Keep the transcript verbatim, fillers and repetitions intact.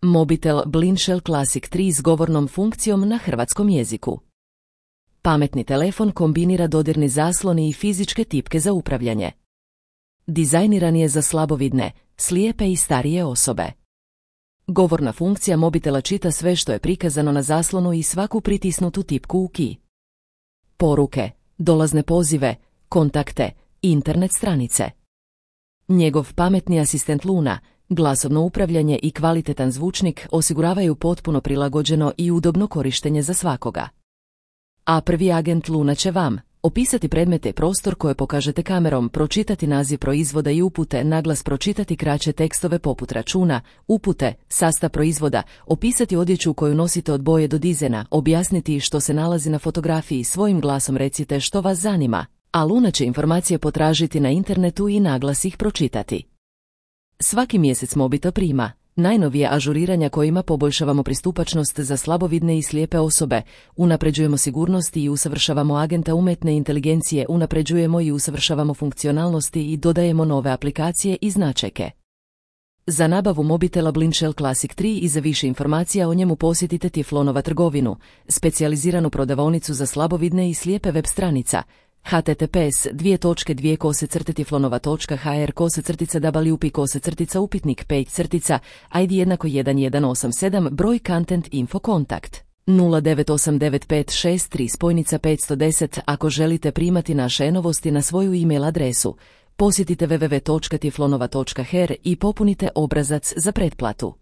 Mobitel Blinshell Classic tri s govornom funkcijom na hrvatskom jeziku. Pametni telefon kombinira dodirni zaslon i fizičke tipke za upravljanje. Dizajniran je za slabovidne, slijepe i starije osobe. Govorna funkcija mobitela čita sve što je prikazano na zaslonu i svaku pritisnutu tipku u key. Poruke, dolazne pozive, kontakte, internet stranice. Njegov pametni asistent Luna, glasovno upravljanje i kvalitetan zvučnik osiguravaju potpuno prilagođeno i udobno korištenje za svakoga. A prvi agent Luna će vam opisati predmete i prostor koje pokažete kamerom, pročitati naziv proizvoda i upute, naglas pročitati kraće tekstove poput računa, upute, sastav proizvoda, opisati odjeću koju nosite od boje do dizajna, objasniti što se nalazi na fotografiji, svojim glasom recite što vas zanima, a Luna će informacije potražiti na internetu i naglas ih pročitati. Svaki mjesec Mobitel prima najnovije ažuriranja kojima poboljšavamo pristupačnost za slabovidne i slijepe osobe, unapređujemo sigurnost i usavršavamo agenta umjetne inteligencije, unapređujemo i usavršavamo funkcionalnosti i dodajemo nove aplikacije i značajke. Za nabavu Mobitela Blinshell Classic tri i za više informacija o njemu posjetite Tiflonova trgovinu, specijaliziranu prodavaonicu za slabovidne i slijepe web stranica h t t p s dvije točke dvije kose crte tiflonova točka h r kose crtica w p kose crtica upitnik pet crtica i d jednako jedan jedan osam sedam broj content info kontakt nula devet osam devet pet šest tri spojnica petsto deset. Ako želite primati naše e-novosti na svoju e-mail adresu, posjetite w w w točka tiflonova točka h r i popunite obrazac za pretplatu.